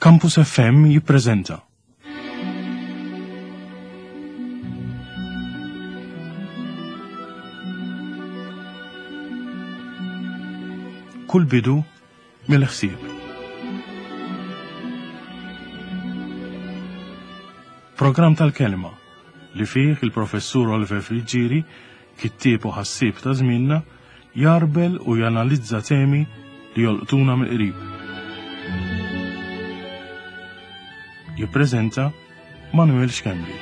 Campus FM jippreżenta. Kull bidu mill-ħsieb. Programm tal-kelma li fih il-professur Oliver Friggieri, kittieb u ħassieb ta' żmienna, jarbel u janalizza temi li jolqtuna mill-qrib. Jippreżenta Manuel Schembri.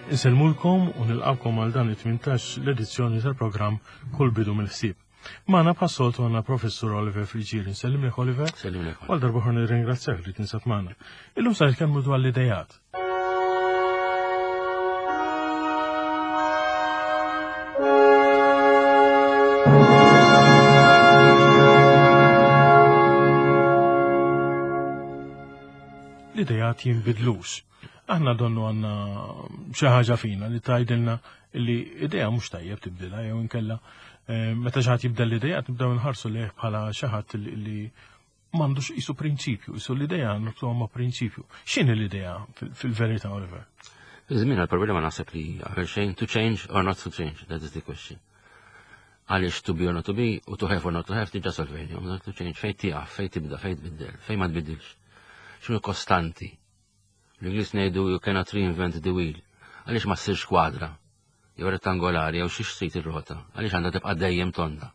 Insellmulkom u nilqawkom għal dan it-18 l-edizzjoni tal-programm Kull bidu mill-ħsieb. Magħna bħas-soltu għandna Professur Oliver Friġieri. Nsellimlek Oliver. Sellimlek. Għal darba oħra nirringrazzjak li tinsab magħna. Illum sa nitkellmu dwar l-idejat. L-idejat jinbidlux. Aħna donnu għandna xi ħaġa fina li tgħidilna li idea mhux tajjeb tibdilha jew inkella eh, meta xi ħadd jibdel l-idea nibdew nħarsu lejh bħala xi ħadd li m'għandux qisu prinċipju, qisu l-idea nibtuha ma' prinċipju. X'inhi l-idea fil-verità, Oliver? Iż-żmien għal-problema naħseb li qabel xejn to change or not to change, that is the question. Għaliex to be or not to be u to have or not to have diġà solvejni, not to change fejn tieqaf, fejn tibda, fejn tbiddel, fejn ma tbiddilx. X'inhu kostanti? L-Ingliż ngħidu you cannot reinvent the wheel. Għaliex ma ssirx kwadra jew rettangolari jew xi xtrid ir-rota, għaliex għandha tibqa' dejjem tonda.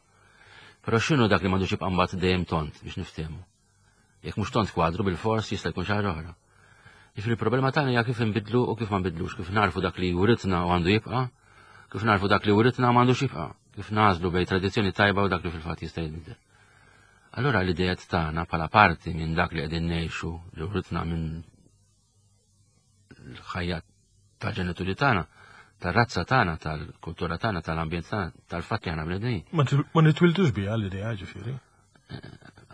Però x'inhu dak li m'għandux jibqa' mbagħad dejjem tond biex niftehmu? Jekk mhux tond kwadru bil-fors jista' jkun xi ħaġa oħra. Jiġifieri il-problema tagħna hija kif inbidlu u kif ma nbidlux, kif narfu dak li writna u għandu jibqa', kif narfu dak li writna ma għandux jibqa', kif nażlu bejn tradizzjoni tajba u dak li fil-fatt jista' jinbidel. Allura l-idejat tagħna bħala parti minn dak li qegħdin ngħixu li writna minn l-ħajja tal-ġenituri tagħna, tar-razza tagħna, tal-kultura tagħna, tal-ambjent tagħna, tal-fatt li aħna bnedmin. Ma nitwildux biha l-idea ġifieri. Eh,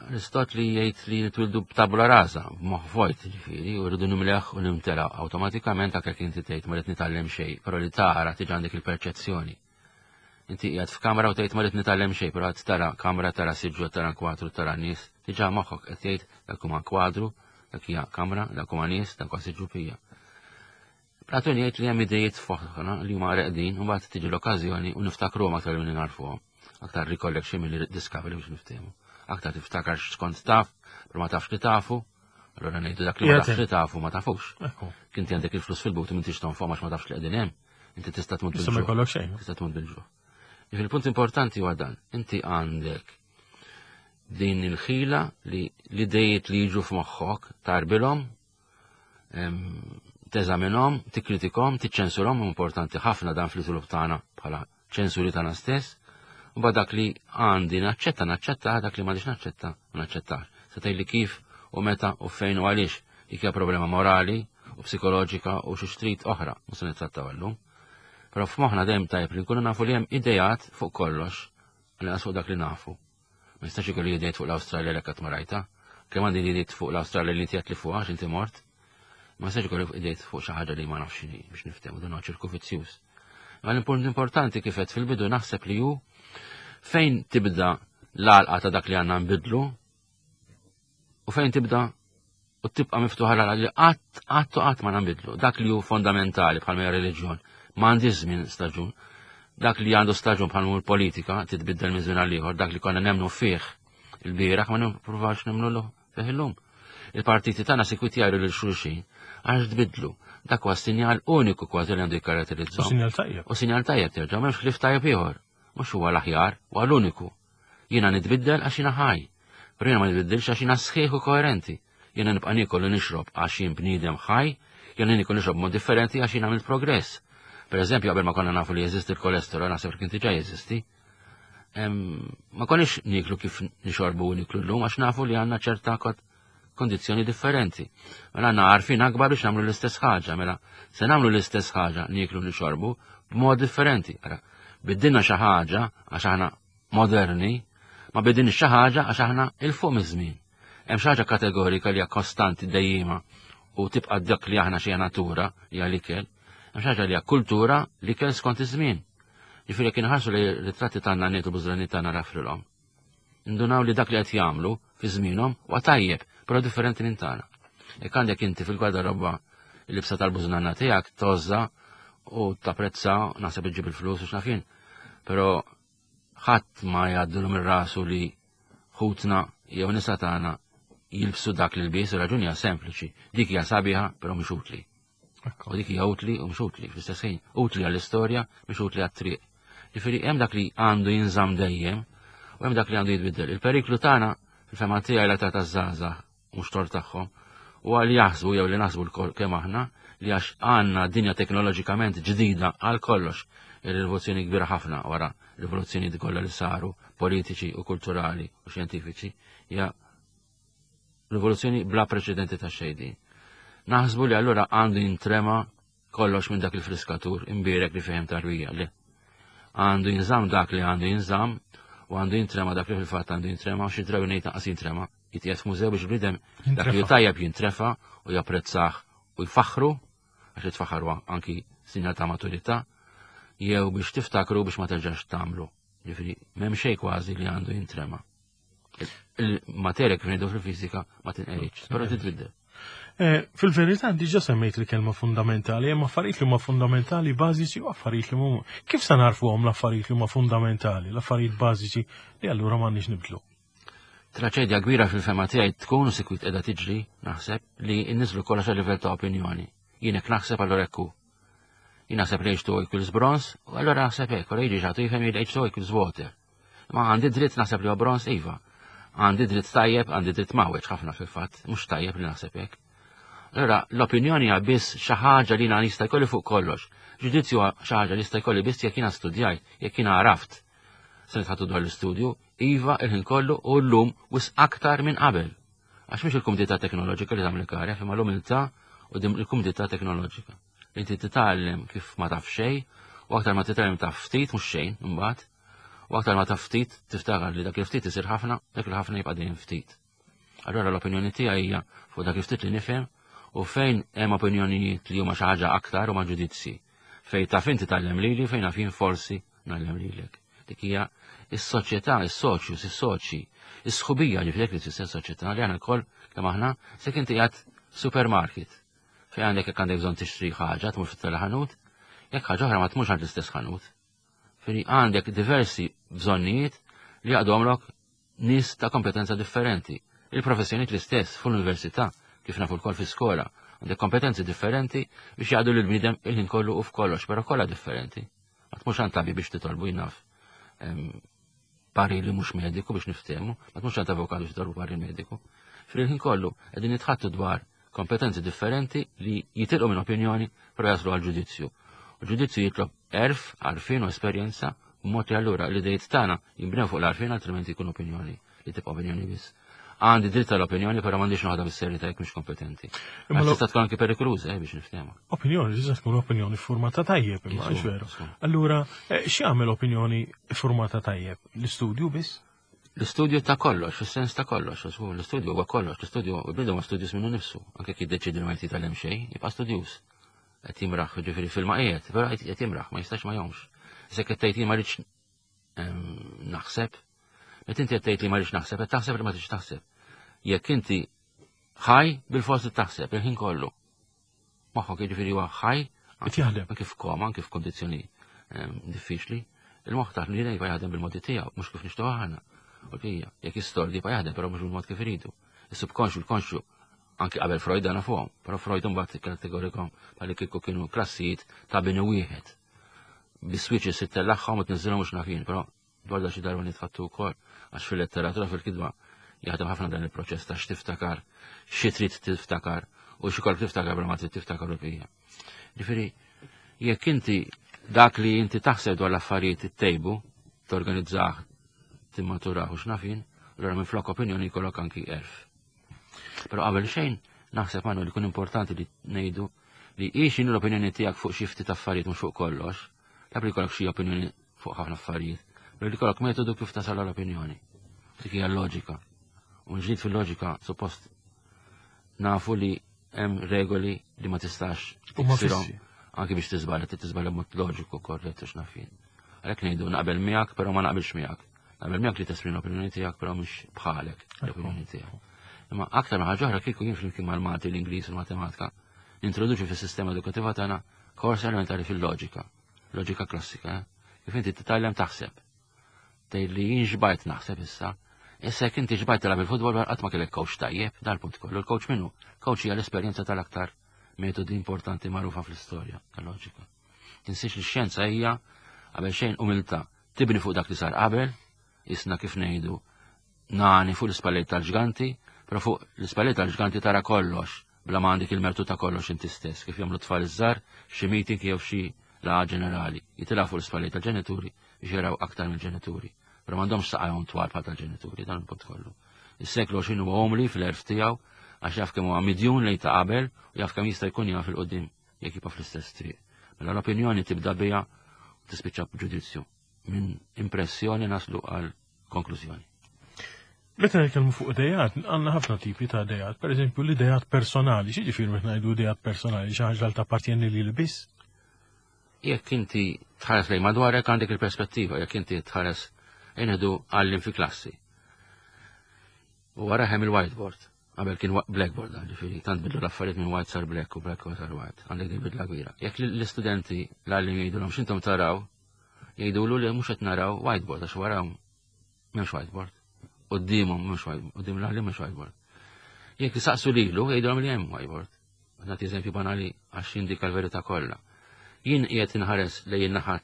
Aristotli jgħid li nitwildu b'tabula rasa, b'moħħ vojt ġifieri, u rridu nimleħ u nimtela awtomatikament anke jekk inti tgħid ma rrid nitgħallem xejn, però li tara tiġi għandek il-perċezzjoni. Inti qiegħed f'kamra u tgħid ma rrid nitgħallem xejn, però qed tara kamra, tara siġġu, tara kwadru, tara nies, diġà moħħok qed jgħid dak huma kwadru, dak hija kamra, dak huma nies, dak huwa siġġu pija. Platun jgħid li hemm idejiet f'moħħna li huma reqdin u mbagħad tiġi l-okkażjoni u niftakruhom aktar milli narfuhom. Aktar recollection milli discovery biex niftehmu. Aktar tiftakar x'kont taf, però ma tafx li tafu, allura ngħidu dak li ma tafx li tafu ma tafux. Kinti għandek il-flus fil-but u m'intix tonfoq għax ma tafx li qegħdin hemm. Inti tista' tmut bil-ġuħ. Ma jkollok xejn. Tista' tmut bil-ġuħ. Il-punt importanti huwa dan. Inti għandek din il-ħila li l-idejiet li jiġu f'moħħok tarbilhom, teżaminhom, tikkritikhom, tiċċensurhom, importanti ħafna dan fl-iżvilupp tagħna bħala ċensuri tagħna stess, u dak li għandi naċċetta, naċċetta, dak li m'għandix naċċetta, ma naċċettax. Se tgħidli kif u meta u fejn u għaliex dik hija problema morali u psikoloġika u xi xtrid oħra, mhux se nittrattaw illum. Però f'moħħna dejjem tajjeb li nkunu nafu li hemm idejat fuq kollox, għal fuq dak li nafu. Ma jistax ikolli idejat fuq l-Awstralja li qatt ma rajta. Kemm għandi idejat fuq l-Awstralja li inti li fuqha għax inti mort. Ma jistax ikolli idejat fuq xi ħaġa li ma nafx x'inhi biex niftehmu dan huwa ċirku vizzjuż. Ma l-punt importanti kif qed fil-bidu naħseb li hu fejn tibda l-għalqa ta' dak li għandna nbidlu u fejn tibda u tibqa' miftuħa l li qatt qatt u qatt ma nbidlu. Dak li hu fondamentali bħal hija reliġjon, ma għandix żmien staġun. Dak li għandu staġun bħal politika titbiddel minn żmien għal ieħor, dak li konna nemnu fih il-bieraħ ma nippruvax nemnu fih illum. Il-partiti tagħna sikwit jgħidu lil xulxin għax tbidlu. Dak huwa sinjal uniku kważi li għandu jikkaratterizzah. U sinjal tajjeb. U sinjal tajjeb terġa' m'hemmx ħlief tajjeb ieħor. Mhux huwa l-aħjar, huwa l-uniku. Jiena nitbiddel għax jiena ħaj. Però jiena ma nitbiddilx għax jiena sħiħ u koerenti. Jiena nibqa' niekol u nixrob għax jien bniedem ħaj, jiena niekol nixrob mod differenti għax jien għamilt progress. Per eżempju, qabel ma konna nafu li jeżisti l-kolesterol, naħseb li kien diġà jeżisti. Ma konniex nieklu kif nixorbu u niklu llum għax nafu li għandna ċerta kondizzjoni differenti. Mela għandna għarfien akbar biex nagħmlu l-istess ħaġa, mela se nagħmlu l-istess ħaġa nieklu nixorbu b'mod differenti. Ara, biddilna xi ħaġa għax aħna moderni, Ma bidin xi ħaġa għax aħna il fuq miż-żmien. Hemm xi ħaġa kategorika li hija kostanti dejjima u tibqa' dak li aħna xi natura li hija l-ikel. Hemm xi ħaġa li hija kultura l-ikel skont iż-żmien. Ġifieri jekk inħarsu li ritratti tagħna nietu bużrani tagħna rafrilhom. Indunaw li dak li qed jagħmlu fi żmienhom huwa tajjeb, però differenti minn tagħna. Jekk għandek inti fil-gwardarobba il-libsa tal-bużnanna tiegħek tożża u tapprezza naħseb iġġib il-flus u x'naf jien. Però ħadd ma jgħaddilu minn rasu li ħutna jew nisa tagħna jilbsu dak li lbies, raġuni hija sempliċi. Dik hija sabiħa, però mhux utli. U dik hija utli u mhux utli fl-istess ħin. Utli għall-istorja, mhux utli għat-triq. Ġifieri hemm dak li għandu jinżamm dejjem u hemm dak li għandu jitbiddel. Il-periklu tagħna fil-fema tiegħi l-età taż-żgħażagħ mhux tort tagħhom u għal jaħsbu jew li naħsbu l kemm aħna li għax għandna dinja teknoloġikament ġdida għal kollox ir-rivoluzzjoni kbira ħafna wara rivoluzzjoni kollha li saru politiċi u kulturali u xjentifiċi hija rivoluzzjoni bla preċedenti ta' xejn Naħsbu li allura għandu jintrema kollox minn dak il-friskatur imbierek li fehem tarwija li għandu jinżamm dak li għandu jinżamm u għandu jintrema dak li fil-fatt għandu jintrema u xi drabi ngħid naqas jintrema jitqiegħed f'mużew biex bniedem dak li tajjeb jintrefa u japprezzah u jfaħħru għax jitfaħħar anki sinjal ta' maturità jew biex tiftakru biex ma terġax tagħmlu. Ġifieri m'hemm xejn kważi li għandu jintrema. Il-materja kif ngħidu fil-fiżika ma tinqeridx, però titbiddel. Eh, fil-verità diġà semmejt il-kelma fundamentali, hemm affarijiet li huma fundamentali bażiċi u affarijiet li huma. Kif se narfuhom l-affarijiet li huma fundamentali, l-affarijiet bażiċi li allura m'għandniex nibdlu? Traċedja kbira fil-fema tiegħi tkun u sikwit qiegħda tiġri, naħseb, li nniżlu kollox għal livell ta' opinjoni. Jien hekk naħseb allura hekk hu. Jien naħseb li H2O equals bronze, u allura naħseb hekk, u jiġi xagħtu jifhem li H2O equals water. Ma għandi dritt naħseb li huwa bronze, iva. Għandi dritt tajjeb, għandi dritt mawweġ ħafna fil-fatt, mhux tajjeb li naħseb hekk. Allura l-opinjoni hija biss xi ħaġa li jiena jista' jkolli fuq kollox. Ġudizzju xi ħaġa li jista' jkolli biss jekk jiena studjajt, jekk jiena għaraft. Se nitħattu dwar l-istudju, iva il-ħin kollu u llum wis aktar minn qabel. Għax mhux il-kumdità teknoloġika li tagħmel karja, imma l-umiltà u il-kumdità teknoloġika. Inti titgħallem kif ma taf xejn, u aktar ma titgħallem taf ftit mhux xejn imbagħad, u aktar ma taf ftit tiftakar li dak il-ftit isir ħafna, dak il-ħafna jibqa' dejjem ftit. Allura l-opinjoni tiegħi hija fuq dak il-ftit li nifhem u fejn hemm opinjonijiet li huma xi ħaġa aktar huma ġudizzji. Fejn taf inti tgħallem lili, fejn naf jien forsi ngħallem lilek. Dik hija is-soċjetà, is-soċjus, is-soċji, is-sħubija ġifieri li tfisser soċjetà li aħna lkoll kemm aħna se inti qiegħed supermarket fejn għandek jekk għandek bżonn tixtri ħaġa tmur fit-teleħanut, jekk ħaġa oħra ma tmurx għand l-istess ħanut. Fini għandek diversi bżonnijiet li jaqdomlok nies ta' kompetenza differenti. Il-professjonijiet l-istess fl-università, kif nafu lkoll fi skola, għandek kompetenzi differenti biex jaqdu lil bniedem il-ħin kollu u f'kollox, però kollha differenti. Ma tmurx għand tabib biex titolbu jnaf pariri mhux mediku biex niftehmu, ma tmurx għand avukat biex titolbu parir mediku. Fil-ħin kollu qegħdin nitħattu dwar kompetenzi differenti li jitilqu minn opinjoni però jaslu għal ġudizzju. U ġudizzju jitlob erf, għarfien u esperjenza b'mod li allura l-idejt tagħna jinbnew fuq l-għarfien altrimenti jkun opinjoni li tibqa' opinjoni biss. Għandi dritt tal-opinjoni, però m'għandix noħodha bis-serjetà jekk mhux kompetenti. Imma tista' tkun anki perikoluża eh, biex niftehmu. Opinjoni tista' tkun opinjoni formata tajjeb, imma veru. Allura, eh, x'jagħmel opinjoni formata tajjeb? L-istudju biss? L-istudju ta' kollox, fis-sens ta' kollox, l-istudju huwa kollox, l-istudju bniedem huwa studjus minnu nifsu, anke kif jiddeċiedi li ma jtitgħallem xejn, jibqa' studjuż. Qed jimraħ, ġifieri fil-ma qiegħed, però qed jimraħ, ma jistax ma jomx. Issa qed tgħid ma rridx naħseb, meta inti qed tgħid li ma rridx naħseb, qed taħseb li ma tridx taħseb. Jekk inti ħaj bil-forsi taħseb il-ħin kollu. Moħħok jiġifieri huwa ħaj, qed jaħdem. Anke f'koma, anke f'kondizzjoni diffiċli, il-moħħ taħt li jibqa' jaħdem bil-modi tiegħu, mhux kif nixtieq aħna. U hija, jekk jistordi jibqa' jaħdem, però mhux bil-mod kif iridu. Is-subkonxju, il-konxju, anki qabel Freud dana fuqhom, però Freud imbagħad kategorikom bħalli kieku kienu klassijiet ta' bini wieħed. Bis-switches ittellagħhom u tniżżilhom mhux nafin, però dwar da xi darba nitħattu wkoll għax fil-letteratura fil-kitba jaħdem ħafna dan il-proċess ta' x'tiftakar, xi trid tiftakar u xi kolb tiftakar bla ma trid tiftakar u bija. Ġifieri, jekk inti dak li inti taħseb dwar l-affarijiet ittejbu, torganizzah, timmaturah u x'nafin, allura minn flok opinjoni jkollok anki erf. Però qabel xejn, naħseb għandu li kun importanti li ngħidu li hi x'inhu l-opinjoni tiegħek fuq xi ftit affarijiet mhux fuq kollox, taf li jkollok xi opinjoni fuq ħafna affarijiet, però li jkollok metodu kif tasal l-opinjoni. Dik hija l-loġika. U ġdid fil-loġika suppost nafu li hemm regoli li ma tistax tiksirhom anke biex tiżbalja, trid tiżbalja b'mod loġiku korrett u x'naf jien. Għalhekk ngħidu naqbel miegħek, però ma naqbilx miegħek. Naqbel miegħek li tesprimi l-opinjoni tiegħek, però mhux bħalek l-opinjoni tiegħek. Imma aktar ma ħaġa oħra kieku jien flimkien mal-Malti, l-Ingliż u l-Matematika nintroduċi fis-sistema edukattiva tagħna kors elementari fil-loġika, loġika klassika, eh? kif inti titgħallem taħseb. Tgħid li jien xbajt naħseb issa. Issa jekk inti xbajt tilgħab il-futbol qatt ma kellek coach tajjeb, dal-punt kollu. Il-coach minnu? Coach hija l-esperjenza tal-aktar metodi importanti magħrufa fl-istorja tal-loġika. Tinsiex li x-xjenza hija qabel xejn umiltà. Tibni fuq dak li sar qabel, isna kif ngħidu nani fuq l-ispalliet tal-ġganti, però fuq l-ispalliet tal-ġganti tara kollox bla ma għandek il-mertu ta' kollox inti stess, kif jagħmlu tfal iż-żgħar f'xi meeting jew f'xi laqgħa ġenerali. Jitilgħu fuq l-ispalliet tal-ġenituri biex jaraw aktar mill-ġenituri. Però m'għandhomx saqajhom twal bħal tal-ġenituri, dan il-punt kollu. Is-seklu 20 huwa umli fl-erf tiegħu għax jaf kemm huwa midjun lejn ta' qabel u jaf kemm jista' jkun jaf il-qudiem jekk jibqa' fl-istess triq. Mela l-opinjoni tibda biha u tispiċċa b'ġudizzju. Minn impressjoni naslu għal konklużjoni. Meta nitkellmu fuq idejat, għandna ħafna tipi ta' idejat. Per eżempju, l-idejat personali, xi ġifieri meta ngħidu idejat personali, xi ħaġa li tappartjeni lili biss? Jekk inti tħares lejn madwarek għandek il-perspettiva, jekk inti tħares inħdu għallim fi klassi. U wara hemm il-whiteboard. Qabel kien blackboard, ġifieri, tant bidlu l-affarijiet minn white sar black u black sar white. Għandek din bidla kbira. Jekk l-istudenti l-għallim jgħidulhom x'intom taraw, jgħidulu li mhux qed naraw whiteboard għax wara m'hemmx whiteboard. Quddiemhom m'hemmx whiteboard, quddiem l-għallim m'hemmx whiteboard. Jekk isaqsu lilu jgħidulhom li hemm whiteboard. Nagħti eżempju banali għax jindika l-verità kollha. Jien qiegħed inħares lejn in-naħa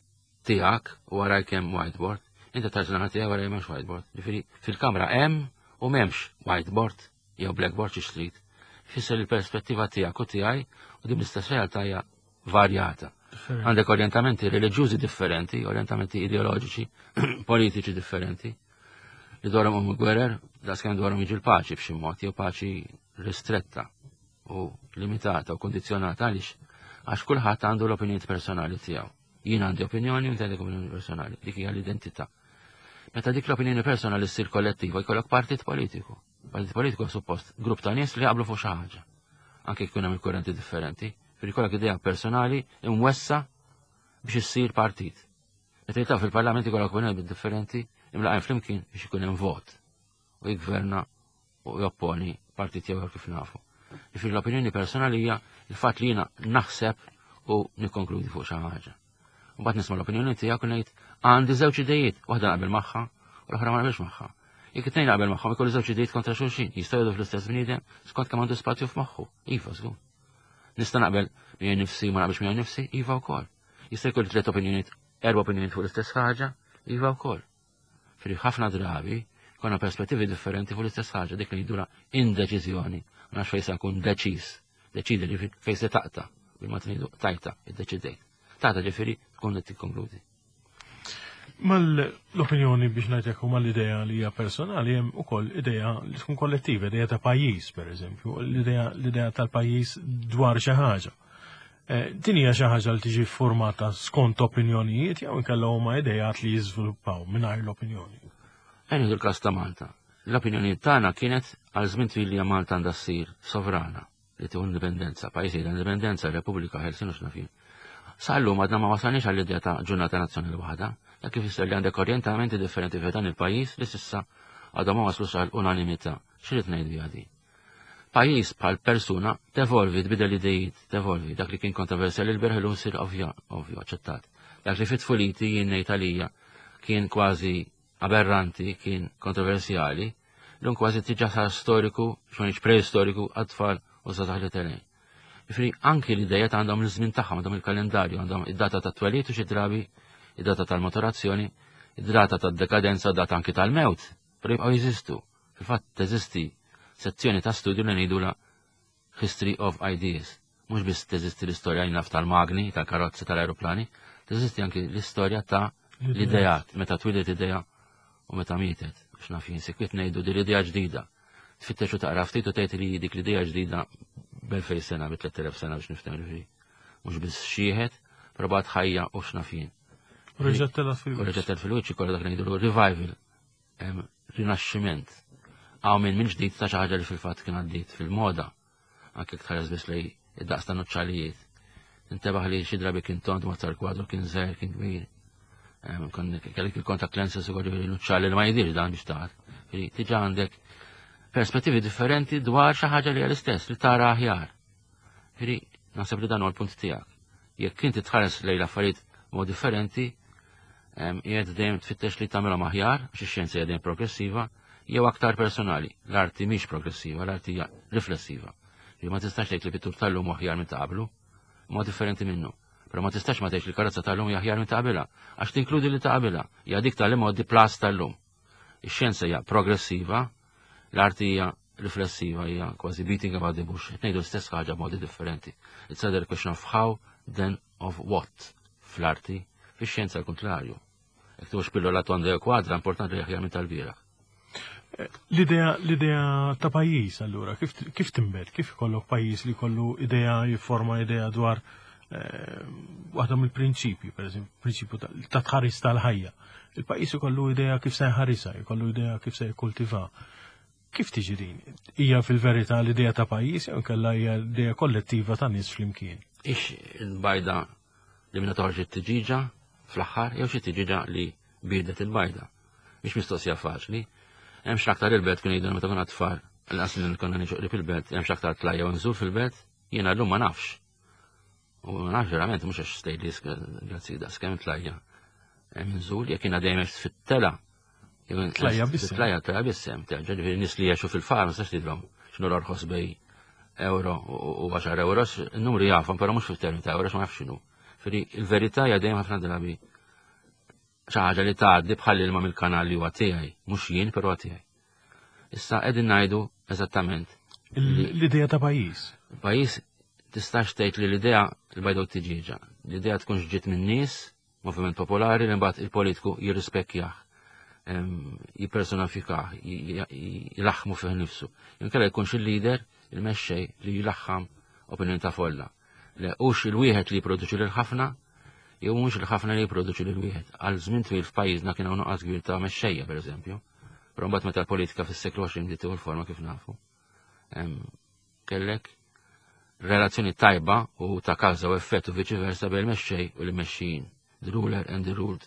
tiegħek u warajk hemm whiteboard, inti tħares naħa tiegħek waraj m'hemmx whiteboard. Ġifieri fil-kamra hemm u m'hemmx whiteboard jew blackboard xi trid. Fisser il-perspettiva tiegħek u tiegħi u din l-istess realtà hija varjata. Għandek orjentamenti reliġjużi differenti, orjentamenti ideoloġiċi, politiċi differenti, li dwarhom huma gwerer, daqskemm dwarhom jiġi l-paċi b'xi mod, jew paċi ristretta u limitata u kondizzjonata għaliex għax kulħadd għandu l-opinjoni personali tiegħu. Jien għandi opinjoni u inti għandek opinjoni personali. Dik hija l-identità. Meta dik l-opinjoni personali ssir kollettiva jkollok partit politiku. Partit politiku suppost grupp ta' nies li jaqblu fuq xi ħaġa. Anke jkun hemm il-kurrenti differenti, fil jkollok idea personali imwessa biex issir partit. Meta jitlaw fil-parlament ikollok opinjoni differenti imlaqgħin flimkien biex ikun hemm vot u jgverna u jopponi partit jew kif nafu. Ġifieri l-opinjoni personali hija l-fatt li jiena naħseb u nikkonkludi fuq xi ħaġa. Mbagħad nisma' l-opinjoni tiegħek u ngħid għandi żewġ idejiet, waħda naqbel magħha u l-oħra ma naqbilx magħha. Jekk it-tnejn naqbel magħhom ikollu żewġ idejiet kontra xulxin, jistgħu jgħidu fl-istess bniedem skont kemm għandu spazju f'moħħu. Iva, żgur. Nista' naqbel miegħi nifsi ma naqbilx miegħi nifsi, iva wkoll. Jista' jkolli tliet opinjonijiet, erba' opinjonijiet fuq l-istess ħaġa, iva wkoll. Fri ħafna drabi konna perspettivi differenti fuq l-istess ħaġa, dik li jidura indeċiżjoni. Ma nafx fejn se nkun deċiż. Deċidi li fejn se taqta' bil-ma tnidu tajta, iddeċidejt. Taqta' ġifieri tkun qed tikkonkludi. Mal-opinjoni biex ngħidlek u mal-idea li hija personali hemm ukoll idea li tkun kollettiva, idea ta' pajjiż pereżempju, l-idea tal-pajjiż dwar xi ħaġa. Eh, din hija xi ħaġa li tiġi formata skont opinjonijiet jew inkella huma idejat li jiżviluppaw mingħajr l-opinjoni. Ejn il-każ ta' Malta. L-opinjoni tagħna kienet għal żmien twil li Malta għandha ssir sovrana li tieħu indipendenza, pajjiż ta' indipendenza, Repubblika Ħelsin u x'nafin. Sa llum għadna ma wasalniex għall-idea ta' ġurnata nazzjonali waħda, dak kif li għandek orjentamenti differenti f'dan il-pajjiż li s'issa għadhom ma waslux għal unanimità. X'irid ngħid biha din? Pajjiż bħal persuna tevolvi, tbidel idejiet, tevolvi. Dak li kien kontroversjali l-bieraħ illum sir ovvja, ovvju, aċċettat. Dak li fit-tfuliti jien ngħid għalija kien kważi aberranti, kien kontroversjali, l-lum kważi tiġa sar storiku, xonix preistoriku għat-tfal u żgħażagħ li telgħin. Ġifieri anki l-idejiet għandhom l-żmien tagħhom, għandhom il-kalendarju, għandhom id-data ta' twelid u xi drabi id-data tal-maturazzjoni, id-data tad-dekadenza, data anki tal-mewt, però jibqgħu jeżistu. Fil-fatt teżisti sezzjoni ta' studju li ngħidula History of Ideas. Mhux biss teżisti l-istorja naf tal-magni, tal-karozzi, tal-aeroplani, teżisti anki l-istorja ta' l-idejat, meta twilet idea u meta mietet. Biex naf jien sikwit ngħidu din l-idea ġdida. Tfittex u taqra ftit u tgħid li dik l-idea ġdida b'elfej sena, bi 3000 sena biex niftem li mhux biss xieħet, però bagħad ħajja u x'naf jien. U reġgħet telgħet fil-wiċċ. U reġgħet telgħet fil-wiċċ ikollha dak ngħidu revival. rinaxximent. Hawn minn ġdid ta' xi ħaġa li fil-fatt kien għaddiet fil-moda, anke jekk tħares biss lej id-daqs ta' nuċċalijiet. Intebaħ li xi drabi kien tond ma tal-kwadru kien żgħir kien kbir. Kellek il-contact lenses ukoll ġifieri nuċċali li ma jidirx dan biex taħt. Tiġa għandek perspettivi differenti dwar xi ħaġa li hija l-istess li tara aħjar. Ġifieri naħseb li dan huwa l-punt tiegħek. Jekk inti tħares lejn l-affarijiet mod differenti, qiegħed dejjem tfittex li tagħmilhom aħjar, għax ix-xjenza hija dejjem progressiva, jew aktar personali. L-arti mhix progressiva, l-arti hija riflessiva. Li ma tistax tgħid li pittur tal-lum aħjar minn ta' qablu, ma differenti minnu. Però ma tistax ma tgħidx li karozza tal-lum hija aħjar minn ta' qabilha, għax tinkludi li ta' qabilha, hija dik tal-imgħoddi plus tal-lum. Ix-xjenza hija progressiva, l-arti hija riflessiva, hija kważi beating about the bush. Qed ngħidu l-istess ħaġa b'modi differenti. It's either a question of how, then of what fl-arti, fix-xjenza l-kontrarju. Jekk tux pillola tonda jew kwadra, importanti li aħjar minn tal-bieraħ. L-idea l-idea ta' pajjiż allura kif kif tinbet, kif ikollok pajjiż li jkollu idea jifforma idea dwar eh, waħda mill-prinċipji, per eżempju, prinċipju ta' tħaris tal-ħajja. Il-pajjiż ikollu idea kif se jħarisha, jkollu idea kif se jikkultiva. Kif tiġi din? Hija fil-verità l-idea ta' pajjiż jew inkella hija idea kollettiva ta' nies flimkien? Ix il-bajda li minna toħroġ it-tiġiġa fl-aħħar jew xi tiġiġa li biedet il-bajda. Mhix mistoqsija faċli. Hemm x'aktar il-belt kien jgħidu meta konna tfal, l-qas li konna niġu qrib il-belt, hemm x'aktar tlajja u nżur fil-belt, jiena llum ma nafx. U ma nafx verament mhux għax stejli grazzi daqs kemm tlajja. Hemm nżul jekk jiena dejjem fit-tela. Tlajja bissem. Tlajja tlajja bissem, terġa' ġifieri nies li jgħixu fil-far ma sax tidhom x'inhu l-orħos bej euro u 10 euros, il-numri jafhom, però mhux fil-termini ta' euros ma nafx x'inhu. Firi il-verità hija dejjem ħafna drabi xi ħaġa li tgħaddi bħal ilma mill-kanal li huwa tiegħi, mhux jien però tiegħi. Issa qegħdin ngħidu eżattament. L-idea ta' pajjiż. Pajjiż tistax tgħid li l-idea l-bajda u t-tiġieġa. L-idea tkunx ġiet minn nies, moviment popolari li mbagħad il-politiku jirrispekkjah, jippersonafikah, jilaħħmu fih nifsu. Inkella jkunx il-leader, il-mexxej li jilaħħam opinjoni ta' folla. Le hux il-wieħed li jipproduċi lil ħafna, jew mhux il-ħafna li jipproduċi lil wieħed. Għal żmien twil f'pajjiżna kien hawn nuqqas kbir ta' mexxejja pereżempju. Però mbagħad meta l-politika fis-seklu 20 bdiet tieħu l-forma kif nafu. Kellek relazzjoni tajba u ta' kawża u effett u viċi versa bejn il-mexxej u l-mexxijin. The ruler and the ruled.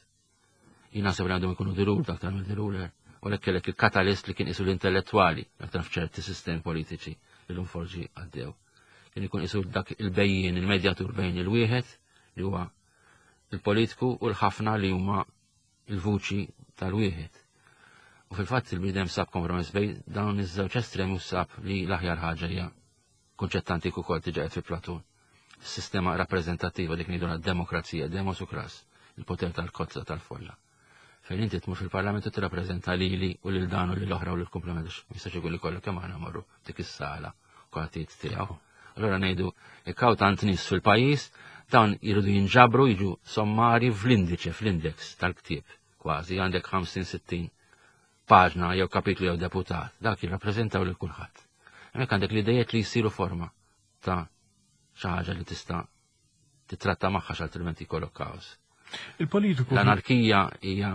Jien naħseb li għandhom ikunu the ruled aktar mill the ruler. U lek kellek il-katalist li kien isu l-intellettwali aktar f'ċerti sistemi politiċi li l forġi għaddew. Kien ikun isu dak il-bejjien, il-medjatur bejn il-wieħed li huwa il-politiku u l-ħafna li huma il-vuċi tal-wieħed. U fil-fatt il-bniedem sab kompromess bejn dawn iż-żewġ estremi u sab li l-aħjar ħaġa hija kunċett antik ukoll diġà qed fi Platun. Sistema rappreżentattiva dik ngħidu demokrazija, demos u kras, il-poter tal-kozza tal-folla. Fejn inti tmur fil-parlament u tirrappreżenta lili u lil dan u lil oħra u lil komplement jistax ikun li kollu kemm aħna morru dik is-sala kulħadd tiegħu. Allura ngħidu jekk hawn tant nies fil-pajjiż, dawn jridu jinġabru jiġu sommari fl-indiċe, fl-index tal-ktieb kważi għandek 50-60 paġna jew kapitlu jew deputat, dak jirrappreżentaw lil kulħadd. Hemmhekk għandek l-idejiet li jsiru forma ta' xi ħaġa li tista' titratta magħha x'altrimenti jkollok kaos. Il-politiku. L-anarkija hija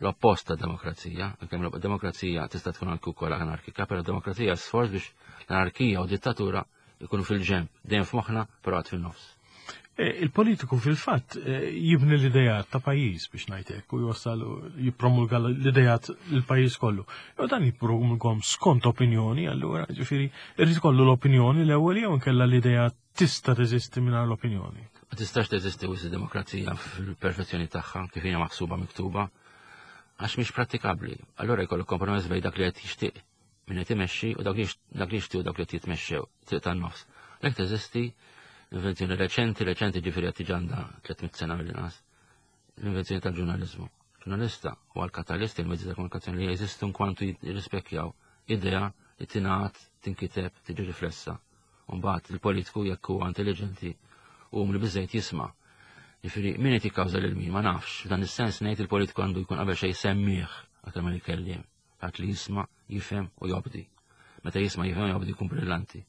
l-oppost ta' demokrazija, kemm demokrazija tista' tkun anke wkoll anarkika, però demokrazija sforz biex l-anarkija u dittatura jkunu fil-ġemp, dejjem f'moħħna, però għad fin-nofs. E, il-politiku fil-fatt e, jibni l-idejat ta' pajjiż biex ngħidlek u jwassal jippromulga l-idejat l-pajjiż kollu. Jew dan jippromulghom skont opinjoni, allura ġifieri irid kollu l-opinjoni l-ewwel jew inkella l-idea tista' teżisti mingħajr l-opinjoni. Ma tistax teżisti wis demokrazija fil-perfezzjoni tagħha kif hija maħsuba miktuba għax mhix prattikabbli. Allura jkollok kompromess bejn dak li qed jixtieq min qed imexxi u dak li jixtiequ dawk li qed jitmexxew, triq tan-nofs. Lek teżisti invenzjoni reċenti, reċenti ġifieri qed tiġi għandha 300 sena mill-inqas, l-invenzjoni tal-ġurnaliżmu. Ġurnalista u għal-katalist il-mezzi ta' komunikazzjoni li jeżistu kwantu jirrispekjaw idea li tingħad, tinkiteb, tiġi riflessa. Mbagħad il-politiku jekk huwa intelligenti u umli biżejt jisma'. Ġifieri min qed jikkawża lil min ma nafx, f'dan is-sens ngħid il-politiku għandu jkun qabel xejn semmieħ aktar milli kelliem. Dak li jisma', jifhem u jobdi. Meta jisma' jifhem u jobdi jkun brillanti.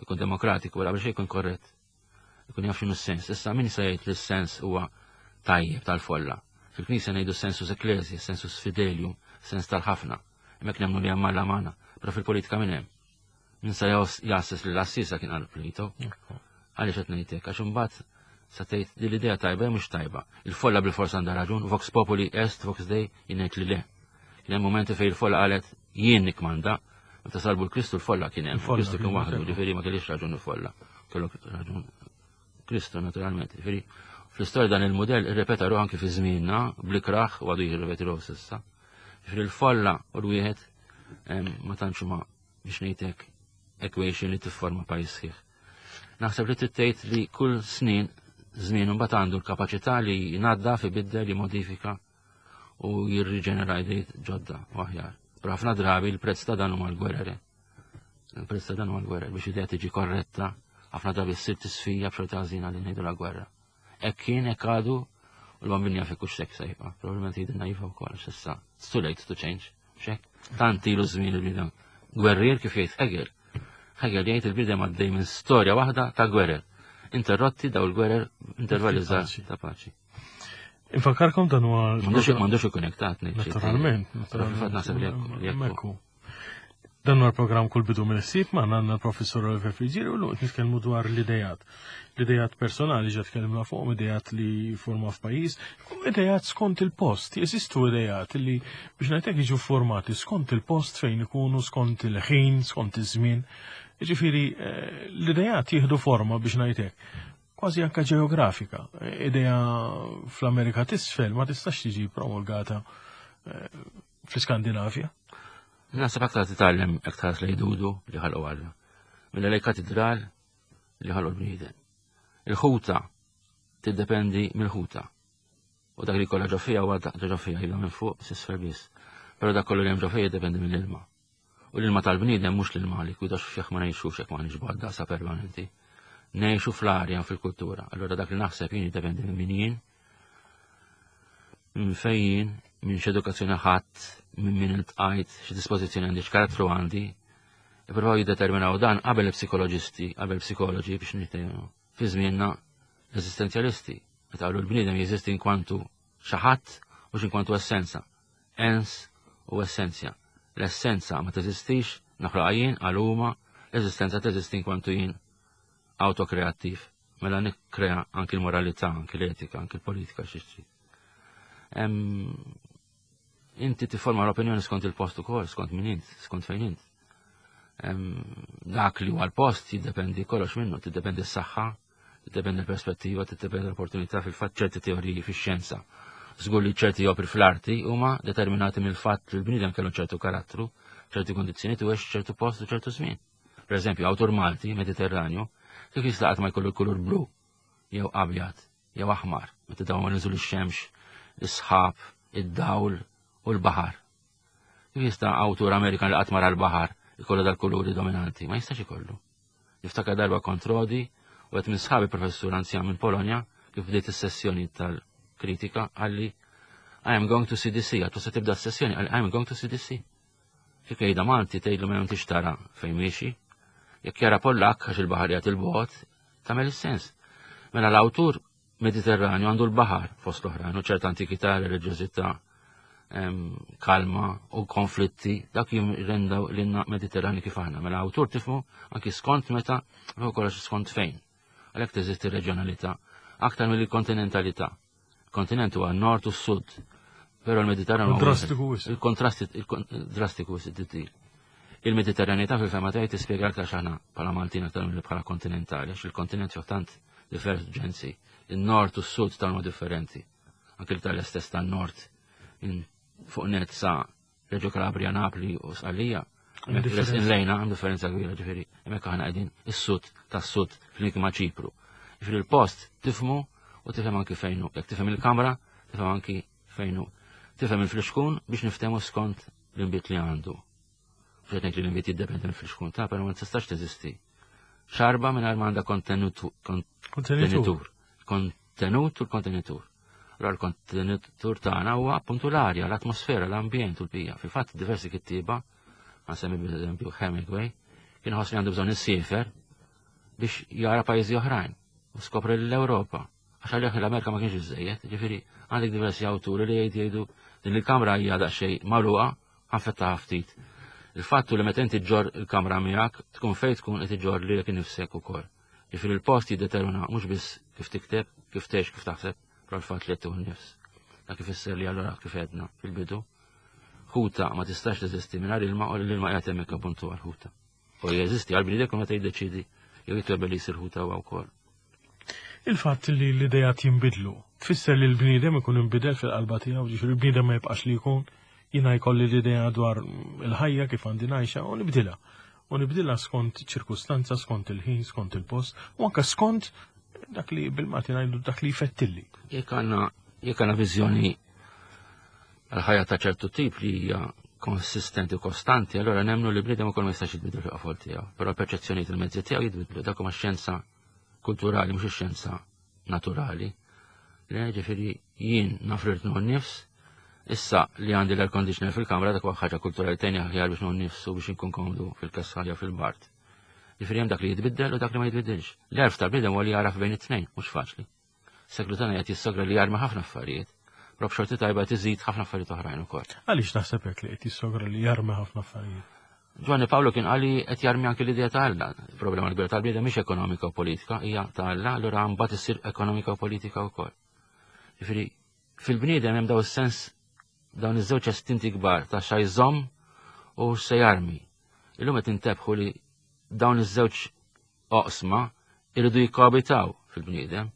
Ikun demokratiku, qabel xejn jkun korrett. Ikun jaf x'inhu s-sens. Issa min se jgħid li s-sens huwa tajjeb tal-folla? Fil-Knisja ngħidu sensus ecclesiae, sensus fidelium, sens tal-ħafna. Hemmhekk nemmnu li hemm Alla magħna, però fil-politika min hemm? Min sa jassis li l-assisa kien qal Plato. Għaliex qed ngħidlek għax imbagħad sa tgħid li l-idea tajba mhux tajba. Il-folla bil-forsa għandha raġun, vox populi est, vox dei, jien ngħid li le. Kien hemm momenti fejn il-folla qalet jien nikmanda, meta salbu l-Kristu l-folla kien hemm. Kristu kien waħdu, ġifieri ma kellix raġun il-folla. Kellu raġun Kristu naturalment. Ġifieri fl-istorja dan il-mudell irrepeta ruħ anki fi żmienna blikraħ u għadu jirrepeti ruħ s'issa. Ġifieri l-folla u l-wieħed ma tantx huma biex ngħidlek equation li tifforma pajjiż sħiħ. Naħseb li trid tgħid li kull snin żmien imbagħad għandu l-kapaċità li jnaddaf, ibiddel, jimodifika u jirriġenera idejt ġodda u aħjar. Però ħafna drabi l-prezz ta' dan huma l-gwerer. Il-prezz ta' dan huma l-gwerer biex idea tiġi korretta, ħafna drabi ssir tisfija b'xorta ħażina li ngħidu la gwerra. Hekk kien, hekk għadu, u l-bambin jaf hekk hux se jibqa'. Probabbilment jgħidilna iva wkoll s'issa. It's too late to change. Xek? Tant ilu żmien il-bniedem. Gwerrier kif jgħid Hegel. Hegel jgħid il-bniedem għaddej minn storja waħda ta' gwerer. Interrotti daw il-gwerer intervalli żgħar ta' paċi. Infakkarkom dan huwa. M'għandux ikun hekk ta' Naturalment, naturalment. Naħseb li hekk. Dan huwa l-programm kull bidu mill-ħsieb ma għandna l-professor Oliver Friggieri u l nitkellmu dwar l-idejat. L-idejat personali ġa tkellimna fuqhom, idejat li forma f'pajjiż, u idejat skont il-post. Jeżistu idejat li biex ngħidlek jiġu formati skont il-post fejn ikunu, skont il-ħin, skont iż-żmien. Jiġifieri eh, l-idejat jieħdu forma biex ngħidlek kważi anka ġeografika. Idea fl-Amerika t'isfel ma tistax tiġi promulgata eh, fl-Iskandinavja. Naħseb aktar titgħallem aktar li jdudu li ħalqu Alla. Mela lej katedral li ħalqu l-bniedem. Il-ħuta tiddependi mill-ħuta. U dak li kollha ġo fija huwa dak ġo fija jibda minn fuq s'isfel biss. Però dak kollu li hemm ġo fija jiddependi mill-ilma. U l-ilma tal-bniedem mhux l-ilma li kwidax fih ma ngħixux hekk ma nixbad sa permanenti. Ngħixu fl-arja fil-kultura. Allura dak li naħseb jien jiddependi minn min jien, minn fejn jien, minn x'edukazzjoni ħadd, minn min iltqajt, x'dispożizzjoni għandi, x'karattru għandi. Ippruvaw jiddeterminaw dan qabel il-psikoloġisti, qabel psikoloġi biex nittejnu. Fi żmienna l-eżistenzjalisti, meta qalu l-bniedem jeżisti inkwantu xi ħadd mhux inkwantu essenza. Ens u essenzja. L-essenza ma teżistix, naħloqha jien għal huma, l-eżistenza teżisti inkwantu jien autokreattiv. Mela nikkrea anki l-moralità, anki l-etika, anki l-politika xi trid. Inti tifforma l-opinjoni skont il-post ukoll, skont min int, skont fejn int. Dak li huwa l-post jiddependi kollox minnu, tiddependi s-saħħa, tiddependi l-perspettiva, tiddependi l-opportunità fil-fatt ċerti teoriji fix-xjenza. Żgur li ċerti opri fl-arti huma determinati mill-fatt li l-bniedem kellu ċertu karattru, ċerti kondizzjoni u ċertu post u ċertu żmien. Per eżempju, awtur Malti, Mediterranju, kif jista' qatt ma jkollu l-kulur blu, jew abjad, jew aħmar, meta dawn ma nżul ix-xemx, is-sħab, id-dawl u l-baħar. Kif jista' awtur Amerikan li qatt mara l-baħar ikollu dal-kuluri dominanti? Ma jistax ikollu. Niftakar darba kont Rodi u qed minn sħabi professur anzjan minn Polonja kif bdiet is-sessjoni tal-kritika qalli I am going to CDC, għattu se tibda s-sessjoni, għalli I am going to CDC. Kif jgħidha Malti tgħidlu ma intix tara fejn miexi. Jekk jara Pollakk għax il-baħar jagħti l-bogħod, tagħmel is-sens. Mela l-awtur Mediterranju għandu l-baħar fost l-oħrajn u ċerta antikità, reliġjożità, kalma u konflitti, dak jirrendaw l-inna Mediterrani kif aħna. Mela awtur tifmu anki skont meta, u kollox skont fejn. Għalhekk teżisti reġjonalità aktar mill-kontinentalità. Kontinent huwa nord u sud. Però l-Mediterran huwa drastiku Il-kontrast drastiku wisq Il-Mediterranità fil-fema tiegħi tispjega aktar x'aħna bħala Maltin aktar milli bħala kontinentali, għax il-kontinent fih tant divergenzi. Il-nord u s-sud tal differenti. Anke l-Italja stess tan-nord fuq net sa Reggio Calabria, Napli u Sqallija. Lejna hemm differenza kbira ġifieri, hemmhekk aħna qegħdin is-sud tas-sud flimkien ma' Ċipru. Ġifieri l-post tifhmu u tifhem anki fejn hu. Jekk tifhem il-kamra, tifhem anki fejn hu. Tifhem il-flixkun biex niftehmu skont l-inbit li għandu. Mhux qed ngħid li l-inbit jiddependi mill-flixkun ta' però ma tistax teżisti. Xarba mingħajr ma għandha kontenitur. Kontenut u l-kontenitur. Allora l-kontenitur tagħna huwa appuntu l-arja, l-atmosfera, l-ambjent u l-bija. Fil-fatt diversi kittieba, għansemmi b'eżempju Hemingway, kien ħoss li għandu bżonn isiefer biex jara pajjiżi oħrajn u skopri l-Ewropa. Għax għalih l-Amerika ma kienx iżejjed, ġifieri għandek diversi awturi li jgħid jgħidu din il-kamra hija daqsxejn magħluqa. Ħa nfettaħha ftit. Il-fatt hu li meta inti ġġorr il-kamra miegħek, tkun fejn tkun qed iġġorr lilek innifsek ukoll. Jiġifieri l-post jiddetermina mhux biss kif tikteb, kif tgħix, kif taħseb, però l-fatt li qed tieħu n-nifs. Dak ifisser li allura kif għedna fil-bidu, ħuta ma tistax teżisti mingħajr ilma u l-ilma qiegħed hemmhekk appuntu għall-ħuta. U jeżisti għall-bniedem kull meta jiddeċiedi jew jitwebel li jsir ħuta huwa wkoll. Il-fatt li l-idejat jinbidlu, tfisser li l-bniedem ikun inbidel fil-qalba tiegħu, ġifieri l-bniedem ma jibqax li jkun, jiena jkolli l-idea dwar il-ħajja kif għandi ngħixha u nibdilha. U nibdilha skont ċirkustanza, skont il-ħin, skont il-post, u anke skont dak li bil-Malti ngħidu dak li jfettilli. Jekk għandna jekk għandna viżjoni għal-ħajja ta' ċertu tip li hija konsistenti u kostanti, allora nemmnu li bniedem ukoll ma jistax jitbidel fil-qofol tiegħu, però l-perċezzjonijiet il-mezzi tiegħu jitbidlu dak huma xjenza kulturali mhux ix-xjenza naturali. Le ġifieri jien naf li rrid nifs, issa li għandi l-air conditioner fil-kamra dak huwa ħaġa kulturali tgħinni aħjar biex nieħu nifs u biex inkun komdu fil-kesħa jew fil-bard. Ġifieri hemm dak li jitbiddel u dak li ma jitbiddilx. L-għerf tal-bniedem huwa li jagħraf bejn it-tnejn, mhux faċli. Seklu tagħna qed jissogra li jarmi ħafna affarijiet, però b'xorti tajba qed iżid ħafna affarijiet oħrajn ukoll. Għaliex taħseb hekk li qed jissogra li jarmi ħafna affarijiet? Ġwanni Pawlu kien qal li qed jarmi anki l-idea ta' Alla. Il-problema l-kbira tal-bniedem mhix ekonomika u politika, hija ta' Alla, allura mbagħad issir ekonomika u politika wkoll. Ġifieri, fil-bniedem hemm daw is-sens dawn iż-żewġ estinti kbar ta' xa jżomm u se jarmi. Illum qed intebħu li dawn iż-żewġ oqsma iridu jikkoabitaw fil-bniedem,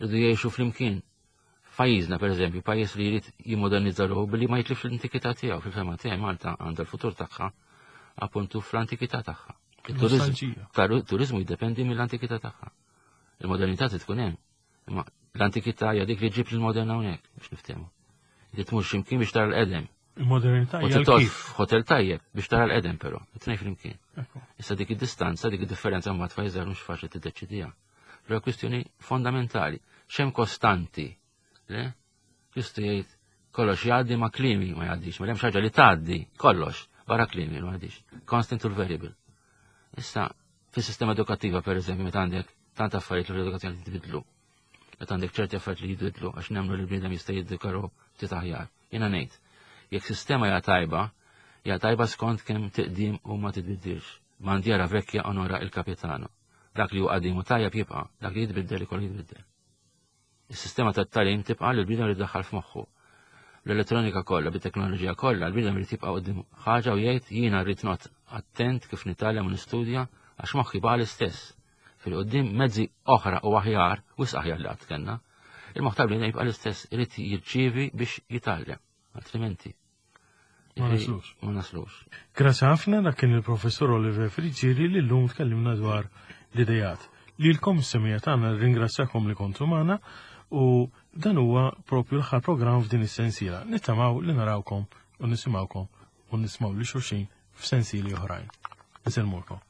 iridu jgħixu flimkien. F'pajjiżna, per eżempju, pajjiż li jrid jimmodernizza ruħu billi ma jitlifx l-antikità tiegħu fil-fema tiegħi Malta għandha l-futur tagħha appuntu fl-antikità tagħha. Il-turizmu jiddependi mill-antikità tagħha. Il-modernità trid tkun hemm. Imma l-antikità hija dik li ġib l-modern hawnhekk biex niftehmu. Li tmur x'imkien biex tara l-qedem. Il-modernità hija kif. Hotel tajjeb biex tara l-qedem però, it-tnejn flimkien. Issa dik id-distanza, dik id-differenza mbagħad fajżar mhux faċli tiddeċidiha. Però kwistjoni fondamentali, x'hemm kostanti, le? Kristu jgħid kollox jgħaddi ma klimi ma jgħaddix, ma hemm ħaġa li tgħaddi kollox barra klimi ma jgħaddix. Constant u variable. Issa fis-sistema edukattiva pereżempju meta għandek tant affarijiet li l-edukazzjoni tibidlu. Meta għandek ċerti affarijiet li jibidlu għax nemmnu li l-bniedem jista' jiddikaru ftit aħjar. Jiena ngħid, jekk sistema hija tajba, hija tajba skont kemm tiqdim u ma titbiddilx. Bandiera vecchia onora il capitano. Dak li hu qadim u tajjeb jibqa', dak li jitbiddel ikollu jitbiddel. Is-sistema tat-tagħlim tibqa' li l-bniedem irid idaħħal f'moħħu. L-elettronika kollha, bit-teknoloġija kollha, l-bniedem irid jibqa' quddiem ħaġa u jgħid jiena rrid noqgħod attent kif nitgħallem u nistudja għax moħħi baqa' l-istess. Fil-qudiem mezzi oħra u aħjar, wisq aħjar li qatt kellna. Il-moħħ tal-bniedem jibqa' l-istess, irid jirċievi biex jitgħallem, altrimenti. Ma naslux. Ma naslux. Grazzi ħafna dak kien il-professur Oliver Friggieri li llum tkellimna dwar l-idejat. Lilkom is-semija tagħna ringrazzjakom li kontu magħna u dan huwa propju l-aħħar programm f'din is-sensiela. Nittamaw li narawkom u nisimgħukom u nismaw li xulxin f'sensieli oħrajn. Niselmulkom.